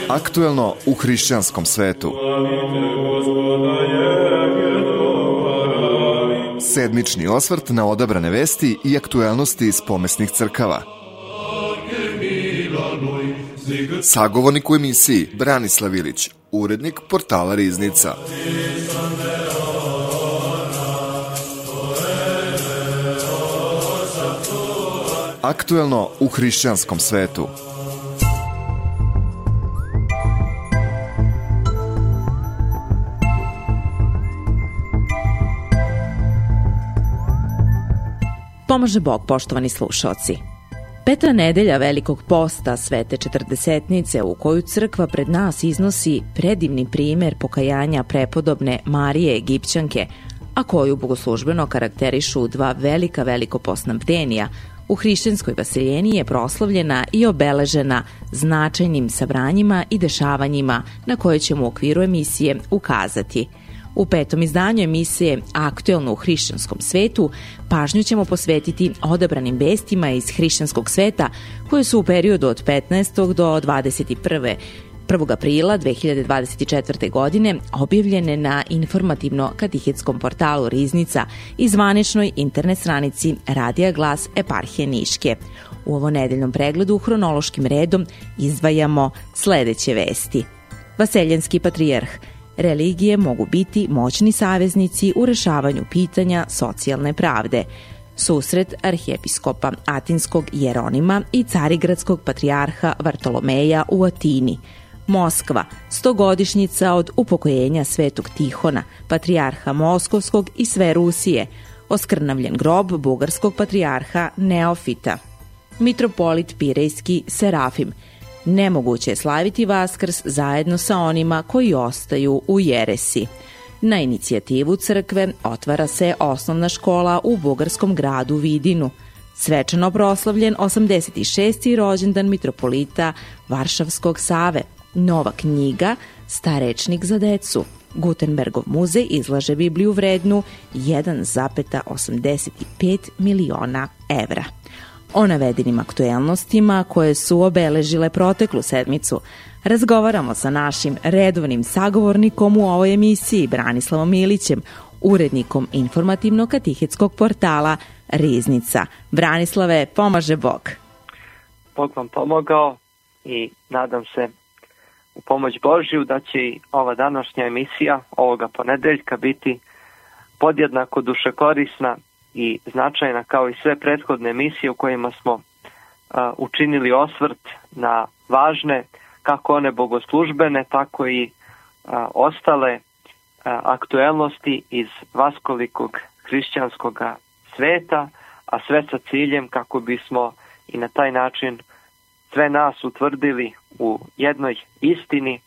Aktuelno u hrišćanskom svetu. Sedmični osvrt na odabrane vesti i aktuelnosti iz pomesnih crkava. Sagovornik u emisiji Branislav Ilić, urednik portala Riznica. Aktuelno u hrišćanskom svetu. Pomaže Bog, poštovani slušaoci. Peta nedelja Velikog posta Svete Četrdesetnice, u koju crkva pred nas iznosi predivni primer pokajanja prepodobne Marije Egipćanke, a koju bogoslužbeno karakterišu dva velika velikopostna bdenija, u hrišćanskoj vaseljeni je proslavljena i obeležena značajnim sabranjima i dešavanjima na koje ćemo u okviru emisije ukazati. U petom izdanju emisije Aktuelno u hrišćanskom svetu pažnju ćemo posvetiti odabranim vestima iz hrišćanskog sveta koje su u periodu od 15. do 21. 1. aprila 2024. godine objavljene na informativno-katihetskom portalu Riznica i zvaničnoj internet stranici Radija Glas Eparhije Niške. U ovo nedeljnom pregledu hronološkim redom izdvajamo sledeće vesti. Vaseljenski patrijarh. Religije mogu biti moćni saveznici u rešavanju pitanja socijalne pravde. Susret arhijepiskopa Atinskog Jeronima i carigradskog patrijarha Vartolomeja u Atini. Moskva, 100-godišnjica od upokojenja Svetog Tihona, patrijarha Moskovskog i sve Rusije. Oskrnavljen grob bugarskog patrijarha Neofita. Mitropolit Pirejski Serafim. Nemoguće je slaviti Vaskrs zajedno sa onima koji ostaju u jeresi. Na inicijativu crkve otvara se osnovna škola u bugarskom gradu Vidinu. Svečano proslavljen 86. rođendan mitropolita Varšavskog Save. Nova knjiga Starečnik za decu. Gutenbergov muzej izlaže Bibliju vrednu 1,85 miliona evra. O navedenim aktuelnostima koje su obeležile proteklu sedmicu razgovaramo sa našim redovnim sagovornikom u ovoj emisiji, Branislavom Ilićem, urednikom informativno-katihetskog portala Riznica. Branislave, pomaže Bog. Bog vam pomogao i nadam se u pomoć Božju da će i ova današnja emisija ovoga ponedeljka biti podjednako dušekorisna i značajna kao i sve prethodne emisije u kojima smo učinili osvrt na važne, kako one bogoslužbene, tako i ostale aktuelnosti iz vaskolikog hrišćanskog sveta, a sve sa ciljem kako bismo i na taj način sve nas utvrdili u jednoj istini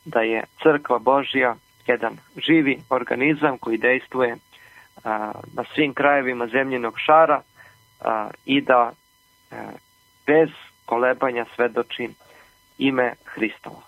da je Crkva Božja jedan živi organizam koji dejstvuje na svim krajevima zemljinog šara i da bez kolebanja svedoči ime Hristovo.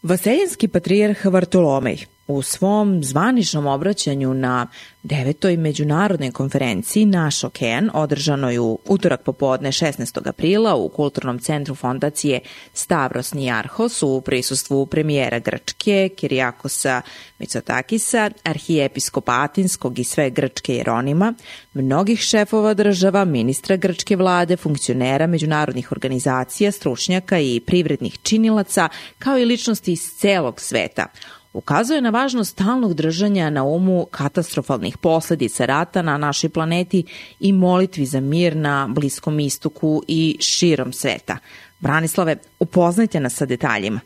Vaseljenski patrijarh Vartolomej u svom zvaničnom obraćanju na 9. međunarodnoj konferenciji Naš okean, održanoj u utorak popodne 16. aprila u Kulturnom centru fondacije Stavros Niarhos u prisustvu premijera Grčke Kirijakosa Mitsotakisa, arhijepiskopa Atinskog i sve Grčke Jeronima, mnogih šefova država, ministra grčke vlade, funkcionera međunarodnih organizacija, stručnjaka i privrednih činilaca, kao i ličnosti iz celog sveta. Ukazuje na važnost stalnog držanja na umu katastrofalnih posledica rata na našoj planeti i molitvi za mir na Bliskom istoku i širom sveta. Branislave, upoznajte nas sa detaljima.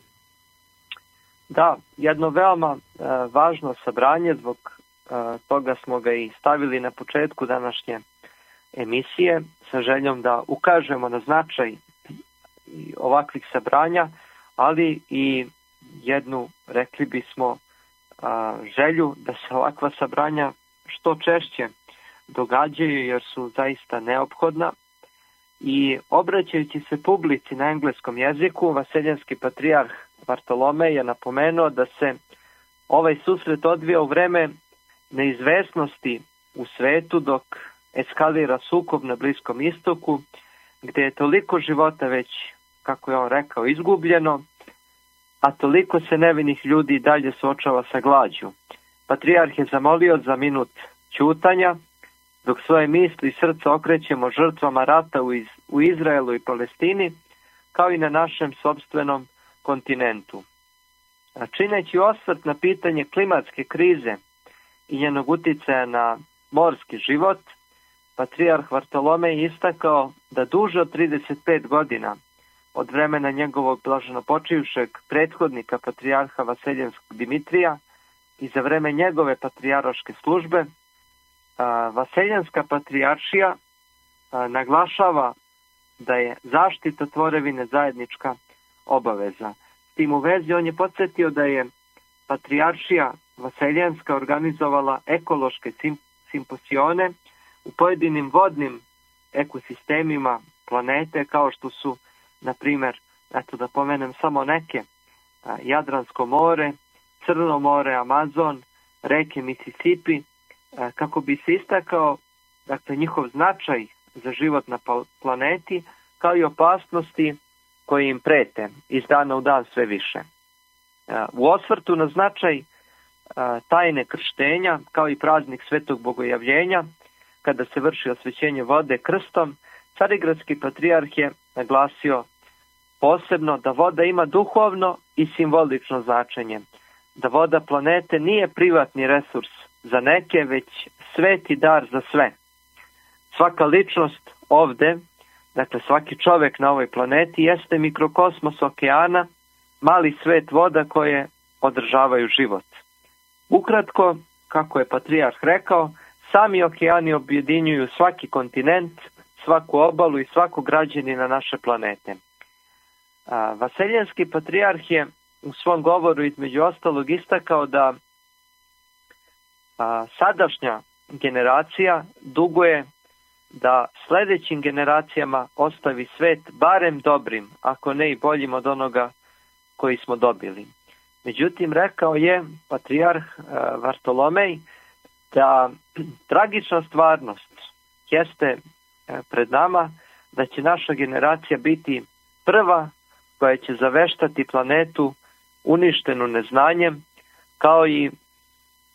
Da, jedno veoma važno sabranje, zbog toga smo ga i stavili na početku današnje emisije sa željom da ukažemo na značaj ovakvih sabranja, ali i jednu, rekli bismo, želju da se ovakva sabranja što češće događaju jer su zaista neophodna. I obraćajući se publici na engleskom jeziku, vaseljenski patrijarh Vartolomej je napomenuo da se ovaj susret odvija u vreme neizvesnosti u svetu, dok eskalira sukob na Bliskom istoku, gdje je toliko života već, kako je on rekao, izgubljeno, a toliko se nevinih ljudi dalje suočava sa glađu. Patrijarh je zamolio za minut ćutanja, dok svoje misli i srca okrećemo žrtvama rata u Izraelu i Palestini, kao i na našem sopstvenom kontinentu. A čineći osvrt na pitanje klimatske krize i njenog uticaja na morski život, patrijarh Vartolomej istakao da duže od 35 godina od vremena njegovog blaženopočivšeg prethodnika patrijarha Vaseljenskog Dimitrija i za vreme njegove patrijarške službe, Vaseljenska patrijaršija naglašava da je zaštita tvorevine zajednička obaveza. S tim u vezi on je podsjetio da je patrijaršija Vaseljenska organizovala ekološke simposione u pojedinim vodnim ekosistemima planete, kao što su, na primjer, eto da pomenem samo neke, Jadransko more, Crno more, Amazon, reke Mississippi, kako bi se istakao, dakle, njihov značaj za život na planeti, kao i opasnosti koje im prete iz dana u dan sve više. U osvrtu na značaj tajne krštenja, kao i praznik Svetog Bogojavljenja, kada se vrši osvećenje vode krstom, Carigradski patrijarh je naglasio posebno da voda ima duhovno i simbolično značenje, da voda planete nije privatni resurs za neke, već sveti dar za sve. Svaka ličnost ovde, dakle svaki čovjek na ovoj planeti, jeste mikrokosmos okeana, mali svet voda koje održavaju život. Ukratko, kako je patrijarh rekao, sami okeani objedinjuju svaki kontinent, svaku obalu i svakog građanina naše planete. Vaseljenski patrijarh je u svom govoru između ostalog istakao da sadašnja generacija duguje da sljedećim generacijama ostavi svet barem dobrim, ako ne i boljim od onoga koji smo dobili. Međutim, rekao je patrijarh Vartolomej da tragična stvarnost jeste pred nama, da će naša generacija biti prva koja će zaveštati planetu uništenu neznanjem, kao i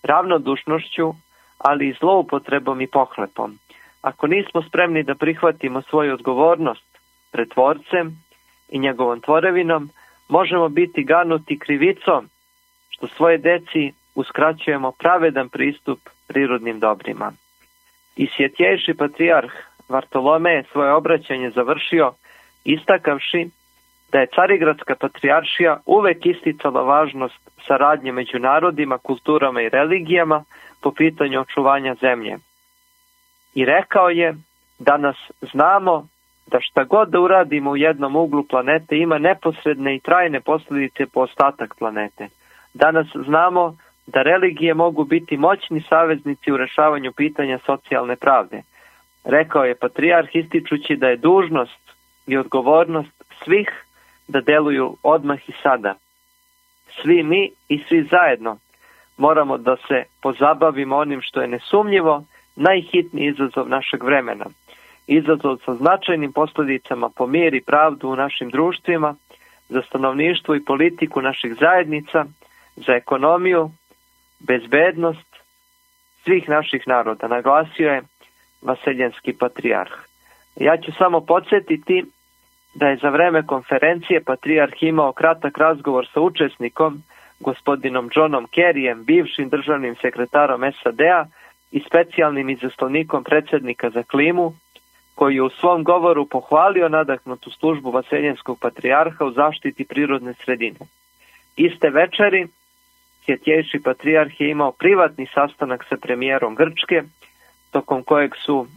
ravnodušnošću, ali i zloupotrebom i pohlepom. Ako nismo spremni da prihvatimo svoju odgovornost pred Tvorcem i njegovom tvorevinom, možemo biti ganuti krivicom što svoje deci uskraćujemo pravedan pristup prirodnim dobrima. I svjetjejši patrijarh Vartolomej svoje obraćanje završio istakavši da je Carigradska patrijaršija uvek isticala važnost saradnje među narodima, kulturama i religijama po pitanju očuvanja zemlje. I rekao je, danas znamo da šta god da uradimo u jednom uglu planete ima neposredne i trajne posljedice po ostatak planete. Danas znamo da religije mogu biti moćni saveznici u rešavanju pitanja socijalne pravde. Rekao je patrijarh ističući da je dužnost i odgovornost svih da deluju odmah i sada. Svi mi i svi zajedno moramo da se pozabavimo onim što je nesumnjivo najhitniji izazov našeg vremena. Izazov sa značajnim posljedicama po mir i pravdu u našim društvima, za stanovništvo i politiku naših zajednica, za ekonomiju, bezbednost svih naših naroda, naglasio je Vaseljenski patrijarh. Ja ću samo podsjetiti da je za vreme konferencije patrijarh imao kratak razgovor sa učesnikom, gospodinom Johnom Kerryjem, bivšim državnim sekretarom SAD-a i specijalnim izaslanikom predsjednika za klimu, koji je u svom govoru pohvalio nadahnutu službu Vaseljenskog patrijarha u zaštiti prirodne sredine. Iste večeri svjetjejši patrijarh je imao privatni sastanak sa premijerom Grčke, tokom kojeg su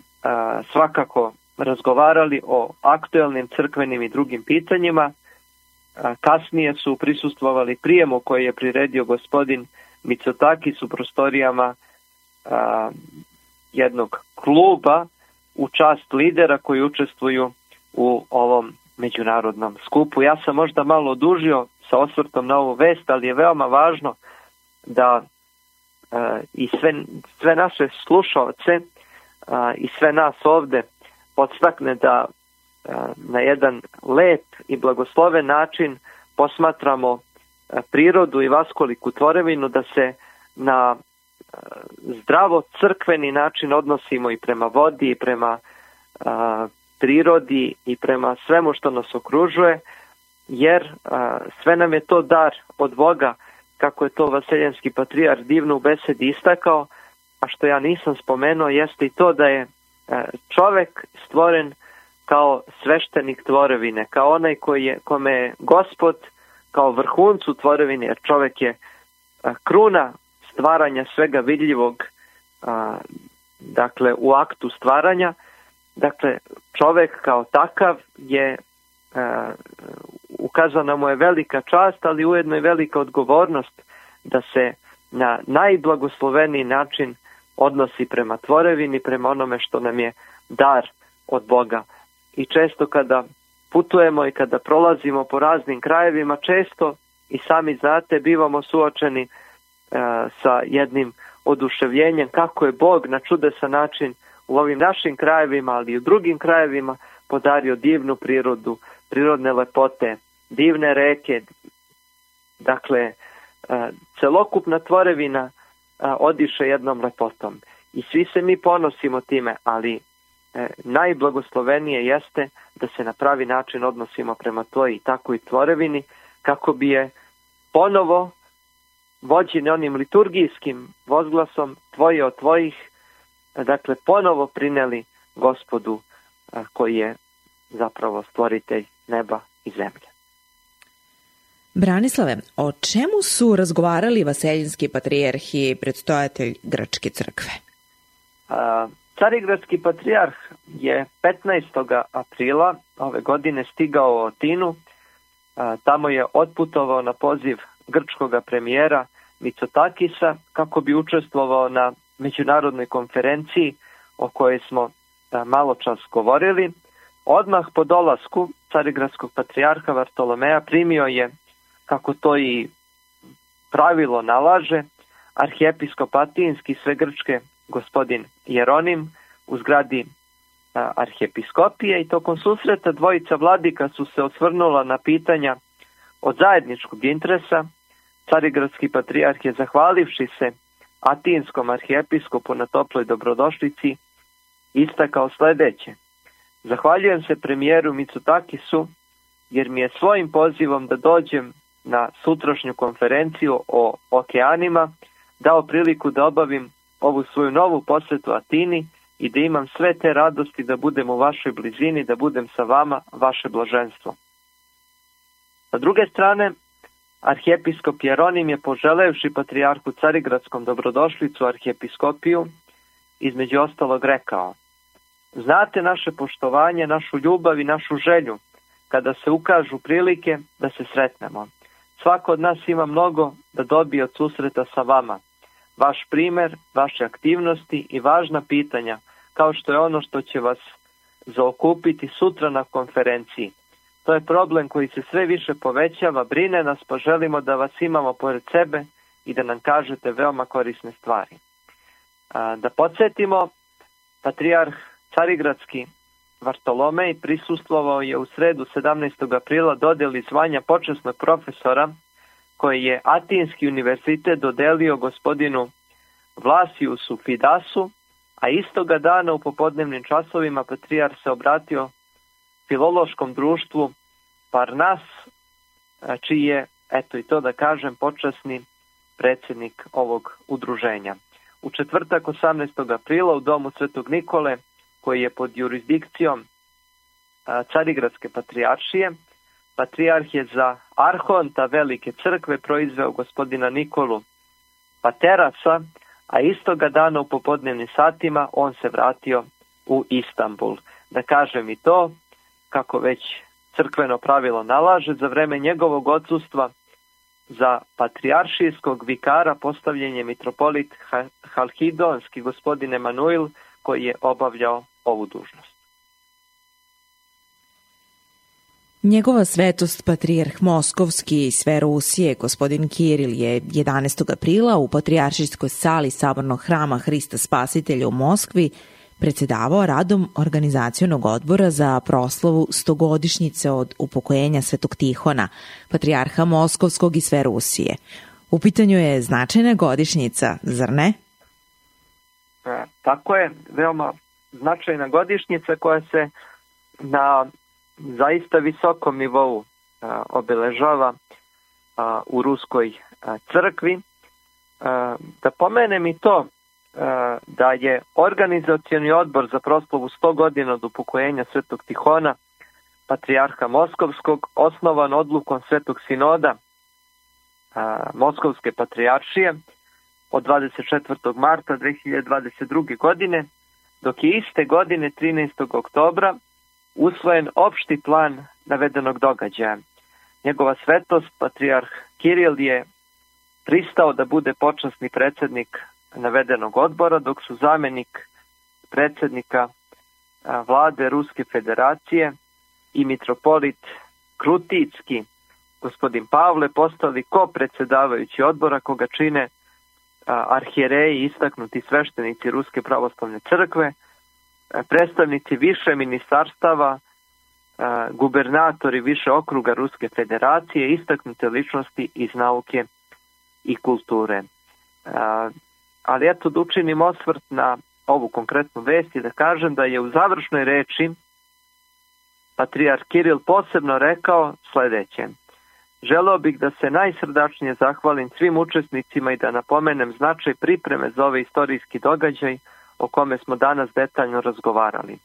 svakako razgovarali o aktuelnim crkvenim i drugim pitanjima. Kasnije su prisustvovali prijemu koji je priredio gospodin Mitsotakis u prostorijama jednog kluba u čast lidera koji učestvuju u ovom međunarodnom skupu. Ja sam možda malo odužio sa osvrtom na ovu vest, ali je veoma važno da i sve naše slušalce i sve nas ovde podstakne da na jedan lep i blagosloven način posmatramo prirodu i vaskoliku tvorevinu, da se na zdravo crkveni način odnosimo i prema vodi, i prema prirodi, i prema svemu što nas okružuje, jer sve nam je to dar od Boga, kako je to vaseljenski patrijarh divno u besedi istakao, a što ja nisam spomenuo jeste i to da je čovek stvoren kao sveštenik tvorevine, kao onaj kome je Gospod kao vrhuncu tvorevine, jer čovek je kruna stvaranja svega vidljivog, dakle u aktu stvaranja. Dakle, čovek kao takav je, ukazana mu je velika čast, ali ujedno i velika odgovornost da se na najblagosloveniji način odnosi prema tvorevini, prema onome što nam je dar od Boga. I često kada putujemo i kada prolazimo po raznim krajevima, često i sami znate, bivamo suočeni sa jednim oduševljenjem kako je Bog na čudesan način u ovim našim krajevima, ali i u drugim krajevima podario divnu prirodu, prirodne lepote, divne reke. Dakle, celokupna tvorevina odiše jednom lepotom i svi se mi ponosimo time, ali najblagoslovenije jeste da se na pravi način odnosimo prema toj i takvoj tvorevini, kako bi je ponovo vođeni onim liturgijskim vozglasom Tvoje od Tvojih, dakle ponovo prineli Gospodu koji je zapravo stvoritelj neba i zemlje. Branislave, o čemu su razgovarali vaseljinski patrijarh i predstojatelj Grčke crkve? Carigradski patrijarh je 15. aprila ove godine stigao u Atinu. Tamo je otputovao na poziv grčkog premijera Mitsotakisa kako bi učestvovao na međunarodnoj konferenciji o kojoj smo malo čas govorili. Odmah po dolasku carigradskog patrijarha Vartolomeja primio je, kako to i pravilo nalaže, arhijepiskop Atinski sve Grčke gospodin Jeronim u zgradi arhijepiskopije, i tokom susreta dvojica vladika su se osvrnula na pitanja od zajedničkog interesa. Carigradski patrijarh je, zahvalivši se atinskom arhijepiskopu na toploj dobrodošlici, istakao sledeće: zahvaljujem se premijeru Mitsotakisu jer mi je svojim pozivom da dođem na sutrašnju konferenciju o okeanima dao priliku da obavim ovu svoju novu posetu Atini i da imam sve te radosti da budem u vašoj blizini, da budem sa vama, vaše blaženstvo. Sa druge strane, arhijepiskop Jeronim je, poželevši patrijarhu Carigradskom dobrodošlicu u arhijepiskopiju, između ostalog rekao: znate naše poštovanje, našu ljubav i našu želju kada se ukažu prilike da se sretnemo. Svako od nas ima mnogo da dobije od susreta sa vama. Vaš primer, vaše aktivnosti i važna pitanja, kao što je ono što će vas zaokupiti sutra na konferenciji. To je problem koji se sve više povećava, brine nas, pa želimo da vas imamo pored sebe i da nam kažete veoma korisne stvari. Da podsjetimo, patrijarh Carigradski Vartolomej prisustvovao je u sredu 17. aprila dodeli zvanja počasnog profesora koji je Atinski univerzitet dodelio gospodinu Vlasijusu Fidasu, a istoga dana u popodnevnim časovima patrijarh se obratio filološkom društvu Parnas, čiji je, eto i to da kažem, počasni predsjednik ovog udruženja. U četvrtak 18. aprila u domu Svetog Nikole, koji je pod jurisdikcijom Carigradske patrijaršije, patrijarh je za arhonta Velike crkve proizveo gospodina Nikolu Paterasa, a istoga dana u popodnevnim satima on se vratio u Istanbul. Da kažem i to, kako već crkveno pravilo nalaže, za vreme njegovog odsustva za patrijaršijskog vikara postavljen je mitropolit Halkidonski gospodin Emanuil, koji je obavljao ovu dužnost. Njegova svetost patrijarh Moskovski i sve Rusije, gospodin Kiril, je 11. aprila u patrijaršijskoj sali Sabornog hrama Hrista Spasitelja u Moskvi predsjedavao radom organizacionog odbora za proslavu 100-godišnjice od upokojenja Svetog Tihona, patrijarha Moskovskog i sve Rusije. U pitanju je značajna godišnjica, zar ne? Tako je, veoma značajna godišnjica koja se na zaista visokom nivou obeležava u Ruskoj crkvi. Da pomenem i to da je organizacioni odbor za proslavu 100 godina od upokojenja Svetog Tihona, patrijarha Moskovskog, osnovan odlukom Svetog sinoda Moskovske patrijaršije od 24. marta 2022. godine, dok je iste godine 13. oktobra usvojen opšti plan navedenog događaja. Njegova svetost, patrijarh Kiril, je pristao da bude počasni predsjednik navedenog odbora, dok su zamjenik predsjednika vlade Ruske federacije i mitropolit Krutijski, gospodin Pavle, postali ko-predsjedavajući odbora, koga čine arhijereji, istaknuti sveštenici Ruske pravoslavne crkve, predstavnici više ministarstava, gubernatori više okruga Ruske federacije, istaknute ličnosti iz nauke i kulture. Ali eto, da učinim osvrt na ovu konkretnu vest i da kažem da je u završnoj reči patrijarh Kiril posebno rekao sljedeće: želeo bih da se najsrdačnije zahvalim svim učesnicima i da napomenem značaj pripreme za ovaj istorijski događaj o kome smo danas detaljno razgovarali.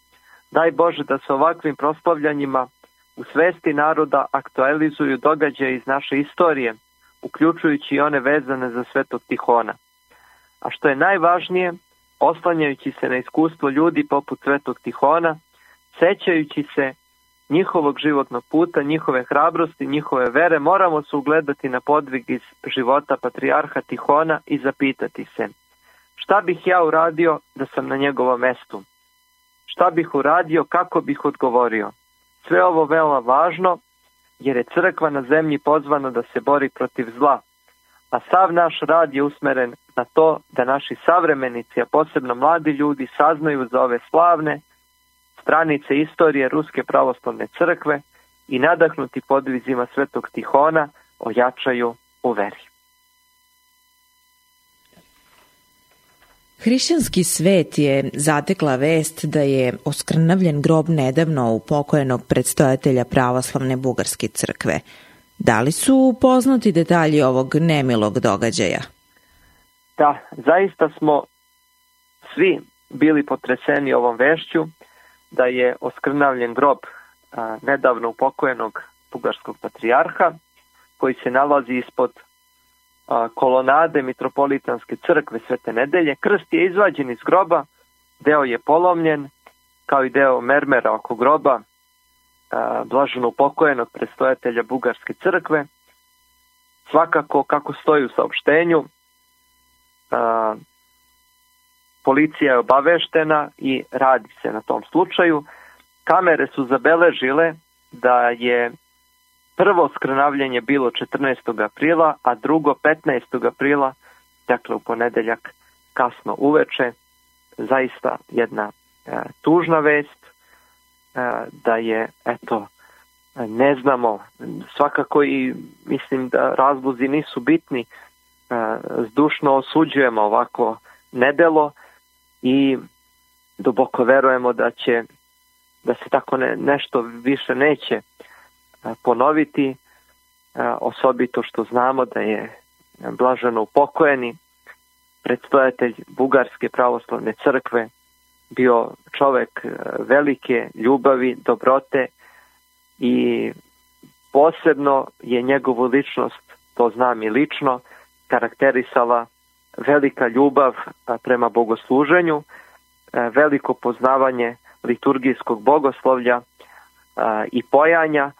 Daj Bože da se ovakvim proslavljanjima u svesti naroda aktualizuju događaje iz naše istorije, uključujući i one vezane za Svetog Tihona. A što je najvažnije, oslanjajući se na iskustvo ljudi poput Svetog Tihona, sećajući se njihovog životnog puta, njihove hrabrosti, njihove vere, moramo se ugledati na podvig iz života patrijarha Tihona i zapitati se: šta bih ja uradio da sam na njegovom mestu? Šta bih uradio, kako bih odgovorio? Sve ovo veoma važno, jer je crkva na zemlji pozvana da se bori protiv zla, a sav naš rad je usmeren na to da naši savremenici, a posebno mladi ljudi, saznaju za ove slavne stranice istorije Ruske pravoslavne crkve i nadahnuti podvizima Svetog Tihona ojačaju u veri. Hrišćanski svet je zatekla vest da je oskrnavljen grob nedavno upokojenog predstojatelja pravoslavne Bugarske crkve. Da li su poznati detalji ovog nemilog događaja? Da, zaista smo svi bili potreseni ovom vešću da je oskrnavljen grob nedavno upokojenog bugarskog patrijarha, koji se nalazi ispod kolonade Mitropolitanske crkve Svete Nedelje. Krst je izvađen iz groba, deo je polomljen, kao i deo mermera oko groba blaženo upokojenog predstojatelja Bugarske crkve. Svakako, kako stoji u saopštenju, policija je obaveštena i radi se na tom slučaju. Kamere su zabeležile da je prvo skrnavljenje bilo 14. aprila, a drugo 15. aprila, dakle u ponedeljak kasno uveče. Zaista jedna tužna vest, da je, eto, ne znamo, svakako i mislim da razlozi nisu bitni, zdušno osuđujemo ovako nedelo i duboko verujemo da se tako nešto više neće ponoviti, osobito što znamo da je blaženo upokojeni predstojatelj Bugarske pravoslavne crkve bio čovjek velike ljubavi, dobrote i posebno je njegovu ličnost, to znam i lično, karakterisala velika ljubav prema bogosluženju, veliko poznavanje liturgijskog bogoslovlja i pojanja,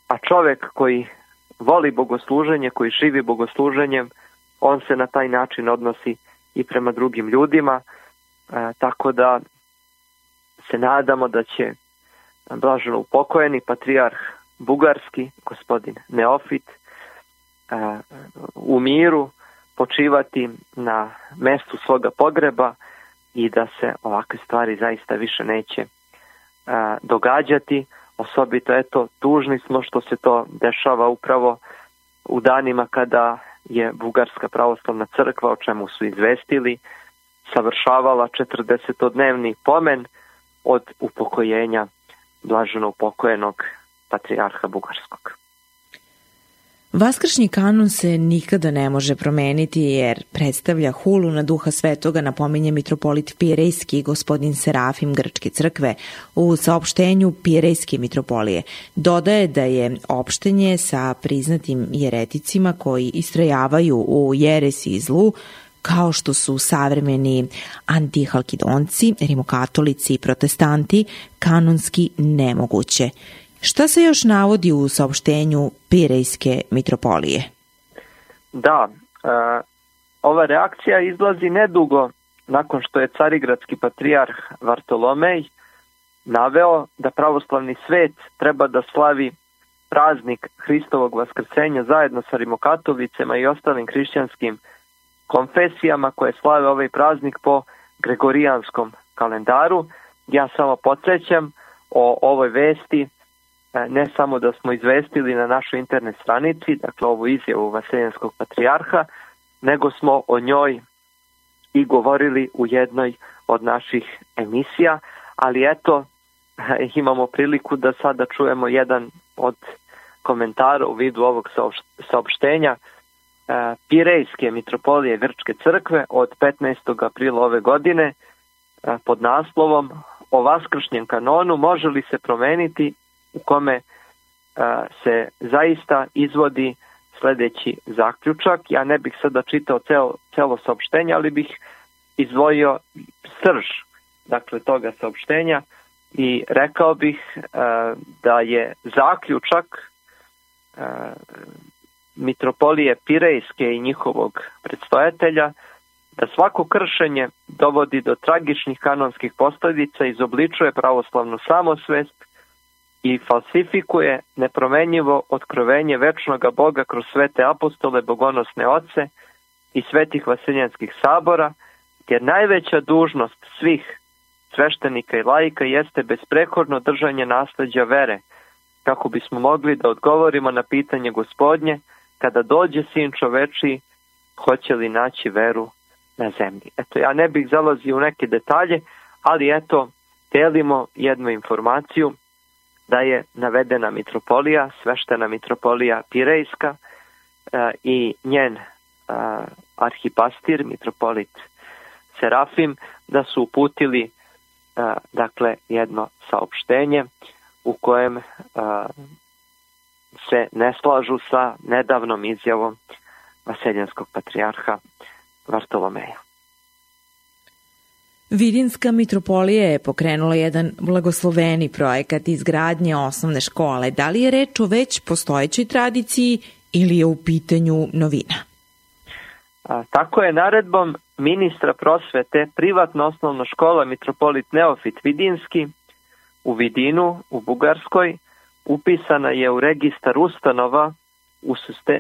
a čovjek koji voli bogosluženje, koji živi bogosluženjem, on se na taj način odnosi i prema drugim ljudima, tako da se nadamo da će blaženo upokojeni patrijarh bugarski, gospodin Neofit, u miru počivati na mestu svoga pogreba i da se ovakve stvari zaista više neće događati. Osobito, tužni smo što se to dešava upravo u danima kada je Bugarska pravoslavna crkva, o čemu su izvestili, savršavala 40-dnevni pomen od upokojenja blaženo upokojenog patrijarha Bugarskog. Vaskršnji kanon se nikada ne može promeniti jer predstavlja hulu na Duha Svetoga, napominje mitropolit Pirejski gospodin Serafim Grčke crkve u saopštenju Pirejske mitropolije. Dodaje da je opštenje sa priznatim jereticima koji istrajavaju u jeresi i zlu, kao što su savremeni antihalkidonci, rimokatolici i protestanti, kanonski nemoguće. Šta se još navodi u saopštenju Pirejske mitropolije? Da, ova reakcija izlazi nedugo nakon što je carigradski patrijarh Vartolomej naveo da pravoslavni svet treba da slavi praznik Hristovog vaskrsenja zajedno sa rimokatolicima i ostalim hrišćanskim konfesijama koje slave ovaj praznik po gregorijanskom kalendaru. Ja samo podsjećam o ovoj vesti, ne samo da smo izvestili na našoj internet stranici, dakle ovu izjavu Vaseljenskog patrijarha, nego smo o njoj i govorili u jednoj od naših emisija, ali imamo priliku da sada čujemo jedan od komentara u vidu ovog saopštenja Pirejske mitropolije Grčke crkve od 15. aprila ove godine pod naslovom o vaskršnjem kanonu može li se promeniti, u kome se zaista izvodi sljedeći zaključak. Ja ne bih sada čitao celo saopštenje, ali bih izdvojio srž toga saopštenja i rekao bih da je zaključak mitropolije Pirejske i njihovog predstojatelja da svako kršenje dovodi do tragičnih kanonskih posljedica, izobličuje pravoslavnu samosvest i falsifikuje nepromenjivo otkrovenje večnoga Boga kroz svete apostole, bogonosne oce i svetih vaseljenskih sabora, jer najveća dužnost svih sveštenika i laika jeste besprekorno držanje nasleđa vere, kako bismo mogli da odgovorimo na pitanje Gospodnje, kada dođe Sin čovečiji, hoće li naći veru na zemlji. Ja ne bih zalazio u neke detalje, ali delimo jednu informaciju da je navedena mitropolija, sveštena mitropolija Pirejska i njen arhipastir, mitropolit Serafim, da su uputili jedno saopštenje u kojem se ne slažu sa nedavnom izjavom Vaseljenskog patrijarha Vartolomeja. Vidinska mitropolija je pokrenula jedan blagosloveni projekat izgradnje osnovne škole. Da li je reč o već postojećoj tradiciji ili je u pitanju novina? Tako je naredbom ministra prosvete privatna osnovna škola mitropolit Neofit Vidinski u Vidinu u Bugarskoj upisana je u registar ustanova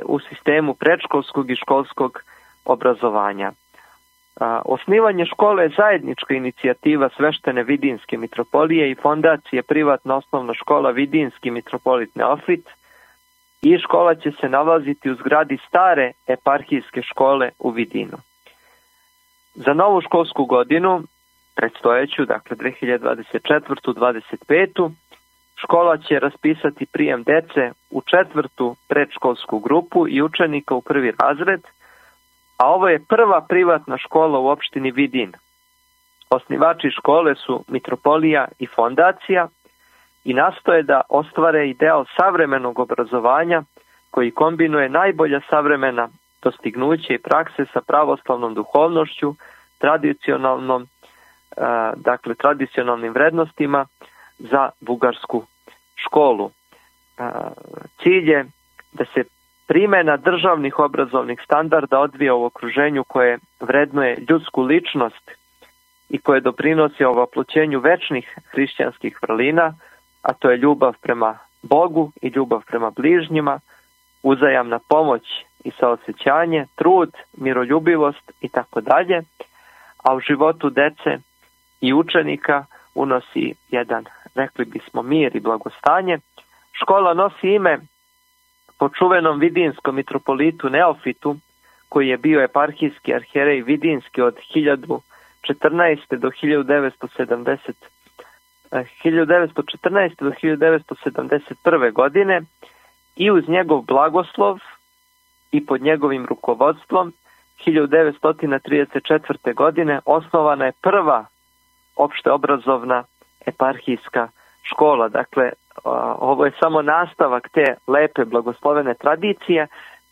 u sistemu predškolskog i školskog obrazovanja. Osnivanje škole je zajednička inicijativa sveštene Vidinske mitropolije i fondacije privatna osnovna škola Vidinski mitropolit Neofit i škola će se nalaziti u zgradi stare eparhijske škole u Vidinu. Za novu školsku godinu, predstojeću, 2024-2025, škola će raspisati prijem dece u 4. predškolsku grupu i učenika u 1. razred, a ovo je prva privatna škola u opštini Vidin. Osnivači škole su mitropolija i fondacija i nastoje da ostvare ideal savremenog obrazovanja koji kombinuje najbolja savremena dostignuća i prakse sa pravoslavnom duhovnošću, tradicionalnim vrednostima za bugarsku školu. Cilj je da se primjena državnih obrazovnih standarda odvija u okruženju koje vrednuje ljudsku ličnost i koje doprinosi ovoploćenju večnih hrišćanskih vrlina, a to je ljubav prema Bogu i ljubav prema bližnjima, uzajamna pomoć i saosećanje, trud, miroljubivost itd. a u životu dece i učenika unosi jedan, rekli bismo, mir i blagostanje. Škola nosi ime po čuvenom vidinskom mitropolitu Neofitu, koji je bio eparhijski arhijerej vidinski od 1914. do 1971. godine, i uz njegov blagoslov i pod njegovim rukovodstvom 1934. godine osnovana je prva opšteobrazovna eparhijska škola. Dakle, ovo je samo nastavak te lepe blagoslovene tradicije.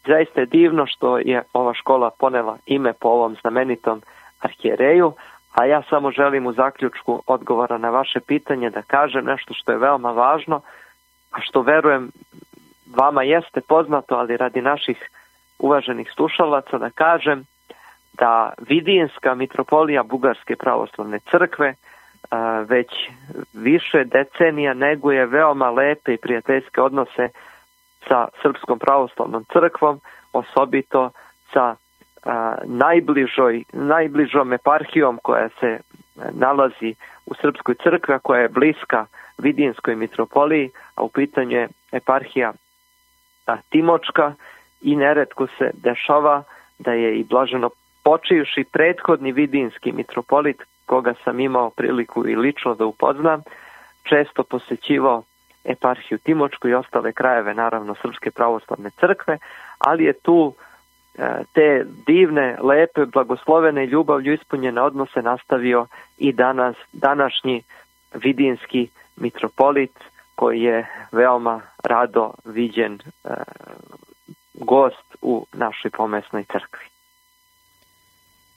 Zaista je divno što je ova škola ponela ime po ovom znamenitom arhijereju, a ja samo želim u zaključku odgovora na vaše pitanje da kažem nešto što je veoma važno, a što verujem vama jeste poznato, ali radi naših uvaženih slušalaca da kažem da Vidinska mitropolija Bugarske pravoslavne crkve već više decenija neguje veoma lepe i prijateljske odnose sa Srpskom pravoslavnom crkvom, osobito sa najbližom eparhijom koja se nalazi u Srpskoj crkvi, a koja je bliska Vidinskoj mitropoliji, a u pitanju je eparhija Timočka, i neretko se dešava da je i blaženo počivši prethodni vidinski mitropolit, koga sam imao priliku i lično da upoznam, često posećivao eparhiju Timočku i ostale krajeve, naravno, Srpske pravoslavne crkve, ali je tu te divne, lepe, blagoslovene i ljubavlju ispunjene odnose nastavio i današnji vidinski mitropolit, koji je veoma rado viđen gost u našoj pomesnoj crkvi.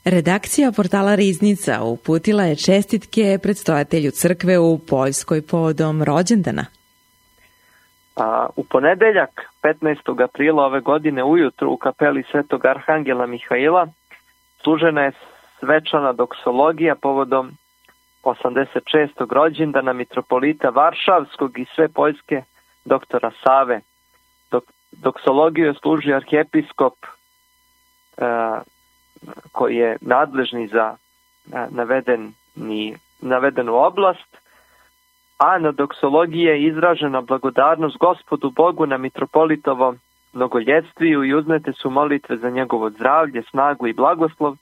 Redakcija portala Riznica uputila je čestitke predstojatelju crkve u Poljskoj povodom rođendana. U ponedeljak, 15. aprila ove godine ujutru u kapeli Svetog Arhangela Mihaila služena je svečana doksologija povodom 86. rođendana mitropolita Varšavskog i sve Poljske doktora Save. Doksologiju je služio arhijepiskop koji je nadležni za navedenu oblast, a na doksologiji je izražena blagodarnost Gospodu Bogu na mitropolitovom mnogoljetviju i uznete su molitve za njegovo zdravlje, snagu i blagoslov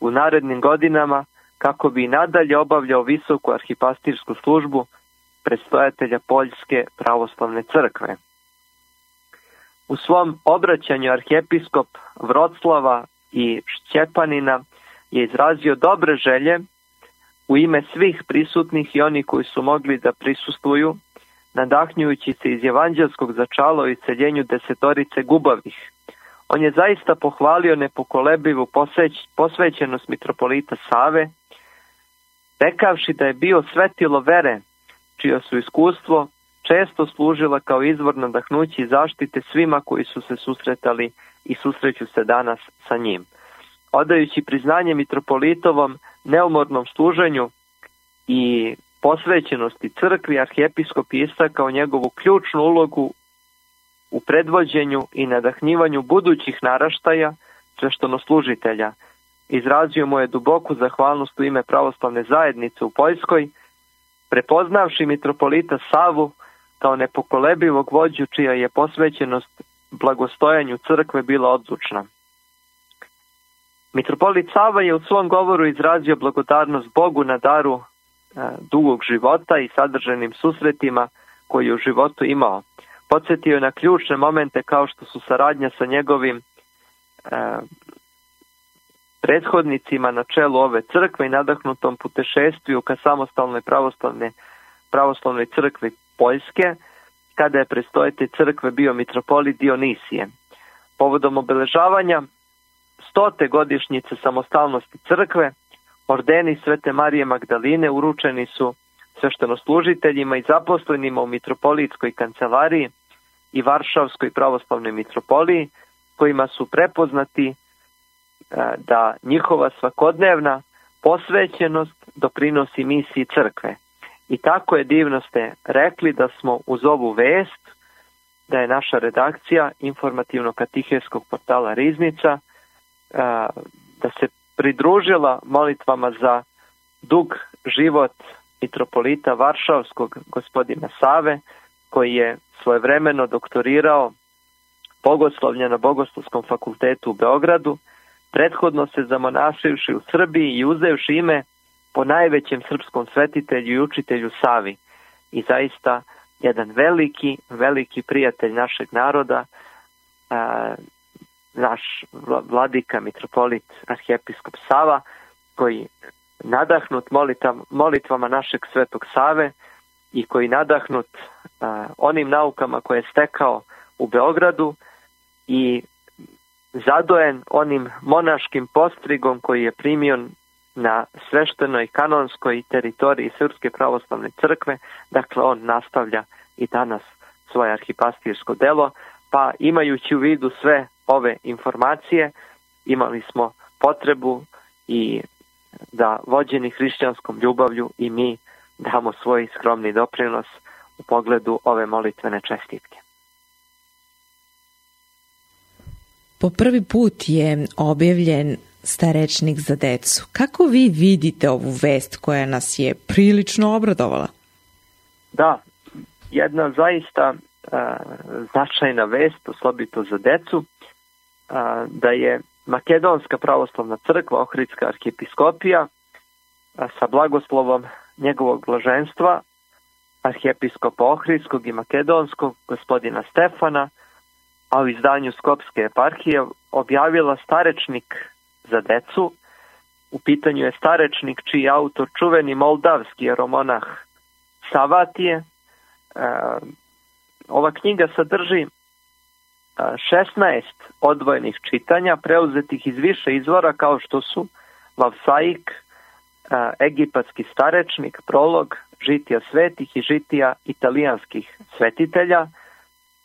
u narednim godinama, kako bi i nadalje obavljao visoku arhipastirsku službu predstojatelja Poljske pravoslavne crkve. U svom obraćanju arhijepiskop Vroclava i Šćepanina je izrazio dobre želje u ime svih prisutnih i oni koji su mogli da prisustvuju, nadahnjujući se iz evanđelskog začala o isceljenju 10 gubavih. On je zaista pohvalio nepokolebivu posvećenost mitropolita Save, rekavši da je bio svetilo vere, čije su iskustvo često služila kao izvor nadahnuća i zaštite svima koji su se susretali i susreću se danas sa njim. Odajući priznanje mitropolitovom neumornom služenju i posvećenosti crkvi, arhijepiskop je istakao njegovu ključnu ulogu u predvođenju i nadahnjivanju budućih naraštaja sveštenoslužitelja. Izrazio mu je duboku zahvalnost u ime pravoslavne zajednice u Poljskoj, prepoznavši mitropolita Savu kao nepokolebivog vođu čija je posvećenost blagostojanju crkve bila odlučna. Mitropolit Sava je u svom govoru izrazio blagodarnost Bogu na daru dugog života i sadržajnim susretima koji je u životu imao. Podsjetio je na ključne momente kao što su saradnja sa njegovim prethodnicima na čelu ove crkve i nadahnutom putešestviju ka samostalnoj pravoslavnoj crkvi Poljske, kada je predstojatelj crkve bio mitropolit Dionisije. Povodom obeležavanja 100. godišnjice samostalnosti crkve, ordeni Svete Marije Magdaline uručeni su sveštenoslužiteljima i zaposlenima u mitropolitskoj kancelariji i Varšavskoj pravoslavnoj mitropoliji, kojima su prepoznati da njihova svakodnevna posvećenost doprinosi misiji crkve. I tako je divno ste rekli da smo uz ovu vest, da je naša redakcija informativno-katiheskog portala Riznica, da se pridružila molitvama za dug život mitropolita Varšavskog gospodina Save, koji je svojevremeno doktorirao bogoslovlje na Bogoslovskom fakultetu u Beogradu, prethodno se zamonašivši u Srbiji i uzevši ime po najvećem srpskom svetitelju i učitelju Savi. I zaista jedan veliki prijatelj našeg naroda, naš vladika, mitropolit, arhijepiskop Sava, koji nadahnut molitvama našeg svetog Save i koji nadahnut onim naukama koje je stekao u Beogradu i zadojen onim monaškim postrigom koji je primio na sveštenoj kanonskoj teritoriji Srpske pravoslavne crkve, dakle on nastavlja i danas svoje arhipastirsko delo, pa imajući u vidu sve ove informacije, imali smo potrebu i da vođeni hrišćanskom ljubavlju i mi damo svoj skromni doprinos u pogledu ove molitvene čestitke. Po prvi put je objavljen starečnik za decu. Kako vi vidite ovu vest koja nas je prilično obradovala? Da, jedna zaista značajna vest, osobito za decu, da je Makedonska pravoslavna crkva, Ohridska arhijepiskopija, sa blagoslovom njegovog blaženstva, arhijepiskopa Ohridskog i Makedonskog, gospodina Stefana, a u izdanju Skopske eparhije objavila starečnik za decu. U pitanju je starečnik čiji je autor čuveni moldavski jeromonah Savatije. Ova knjiga sadrži 16 odvojenih čitanja, preuzetih iz više izvora kao što su Vavsaik, egipatski starečnik, prolog, žitija svetih i žitija italijanskih svetitelja,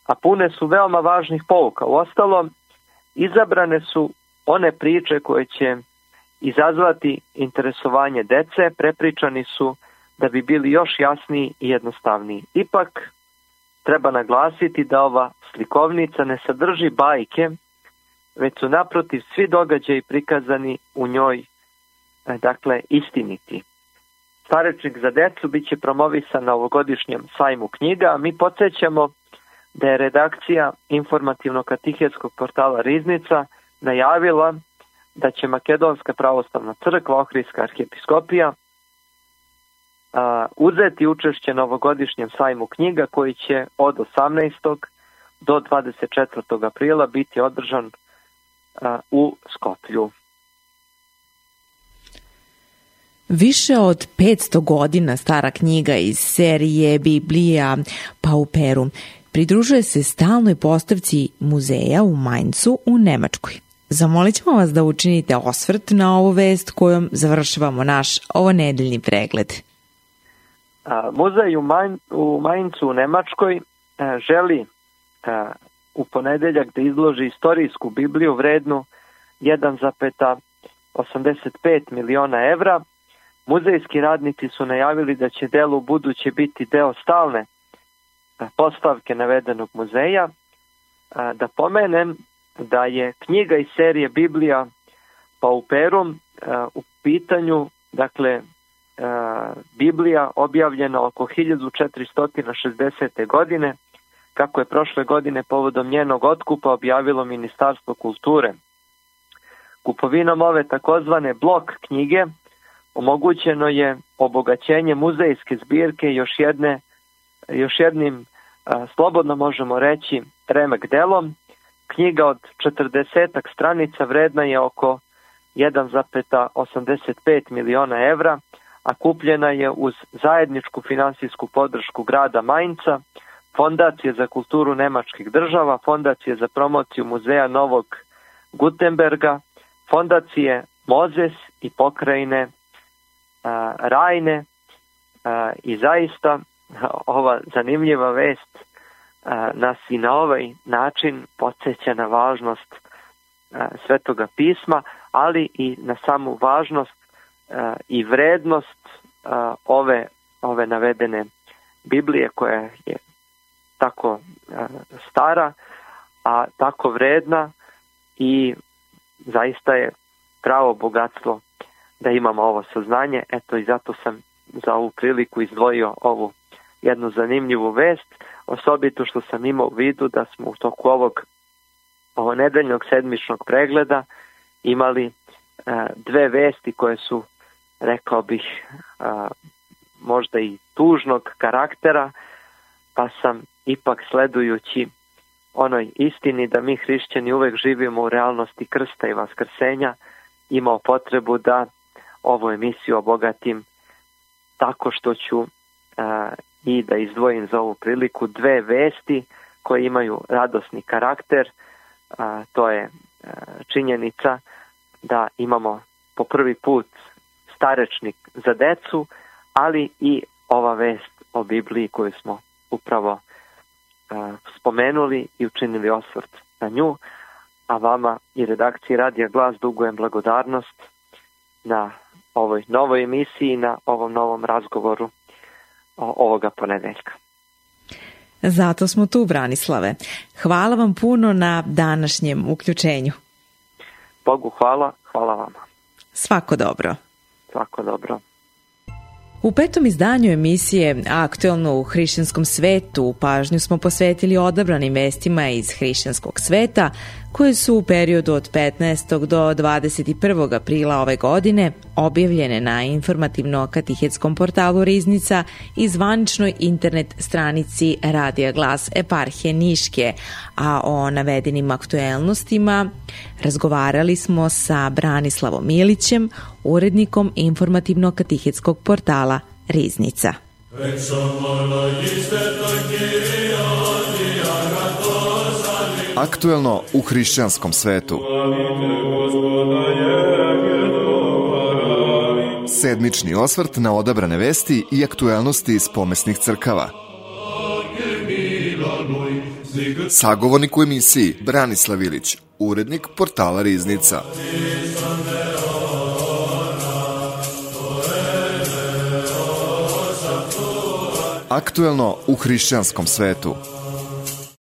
a pune su veoma važnih pouka. Uostalom, izabrane su one priče koje će izazvati interesovanje dece, prepričani su da bi bili još jasniji i jednostavniji. Ipak, treba naglasiti da ova slikovnica ne sadrži bajke, već su naprotiv svi događaji prikazani u njoj, dakle, istiniti. Starečnik za decu bit će promovisan na ovogodišnjem sajmu knjiga, a mi podsjećamo da je redakcija informativno-katehetskog portala Riznica najavila da će Makedonska pravoslavna crkva, Ohridska arhijepiskopija, uzeti učešće na ovogodišnjem sajmu knjiga koji će od 18. do 24. aprila biti održan u Skoplju. Više od 500 godina stara knjiga iz serije Biblija Pauperum pridružuje se stalnoj postavci muzeja u Mainzu u Nemačkoj. Zamolit ćemo vas da učinite osvrt na ovu vest kojom završavamo naš ovonedeljni pregled. Muzej u Mainzu u Nemačkoj želi u ponedeljak da izloži istorijsku Bibliju vrednu 1,85 miliona evra. Muzejski radnici su najavili da će delo u buduće biti deo stalne postavke navedenog muzeja. Da pomenem da je knjiga iz serije Biblija Pauperum u pitanju, dakle, Biblija objavljena oko 1460. godine, kako je prošle godine povodom njenog otkupa objavilo Ministarstvo kulture. Kupovinom ove takozvane blok knjige omogućeno je obogaćenje muzejske zbirke još jednim, slobodno možemo reći, remek delom. Knjiga od 40 stranica vredna je oko 1,85 miliona evra, a kupljena je uz zajedničku finansijsku podršku grada Mainca, Fondacije za kulturu nemačkih država, Fondacije za promociju muzeja Novog Gutenberga, Fondacije Mozes i pokrajine Rajne. I zaista ova zanimljiva vest nas i na ovaj način podsjeća na važnost Svetoga pisma, ali i na samu važnost i vrednost ove navedene Biblije koja je tako stara, a tako vredna i zaista je pravo bogatstvo da imamo ovo saznanje. Eto i zato sam za ovu priliku izdvojio ovu jednu zanimljivu vest, osobito što sam imao u vidu da smo u toku ovog nedeljnog sedmičnog pregleda imali dve vesti koje su, rekao bih, možda i tužnog karaktera, pa sam ipak, sledujući onoj istini da mi hrišćani uvek živimo u realnosti krsta i vaskrsenja, imao potrebu da ovu emisiju obogatim tako što ću i da izdvojim za ovu priliku dve vesti koje imaju radosni karakter. To je činjenica da imamo po prvi put starečnik za decu, ali i ova vest o Bibliji koju smo upravo spomenuli i učinili osvrt na nju, a vama i redakciji Radija Glas dugujem blagodarnost na ovoj novoj emisiji, na ovom novom razgovoru ovoga ponedeljka. Zato smo tu, Branislave. Hvala vam puno na današnjem uključenju. Bogu hvala, hvala vama. Svako dobro. Svako dobro. U 5. izdanju emisije Aktuelno u hrišćanskom svetu pažnju smo posvetili odabranim vestima iz hrišćanskog sveta koje su u periodu od 15. do 21. aprila ove godine objavljene na informativno-katihetskom portalu Riznica i zvaničnoj internet stranici Radija Glas eparhije Niške, a o navedenim aktuelnostima razgovarali smo sa Branislavom Milićem, urednikom informativno-katihetskog portala Riznica. Aktuelno u hrišćanskom svetu. Sedmični osvrt na odabrane vesti i aktuelnosti iz pomesnih crkava. Sagovornik u emisiji Branislav Ilić, urednik portala Riznica. Aktuelno u hrišćanskom svetu.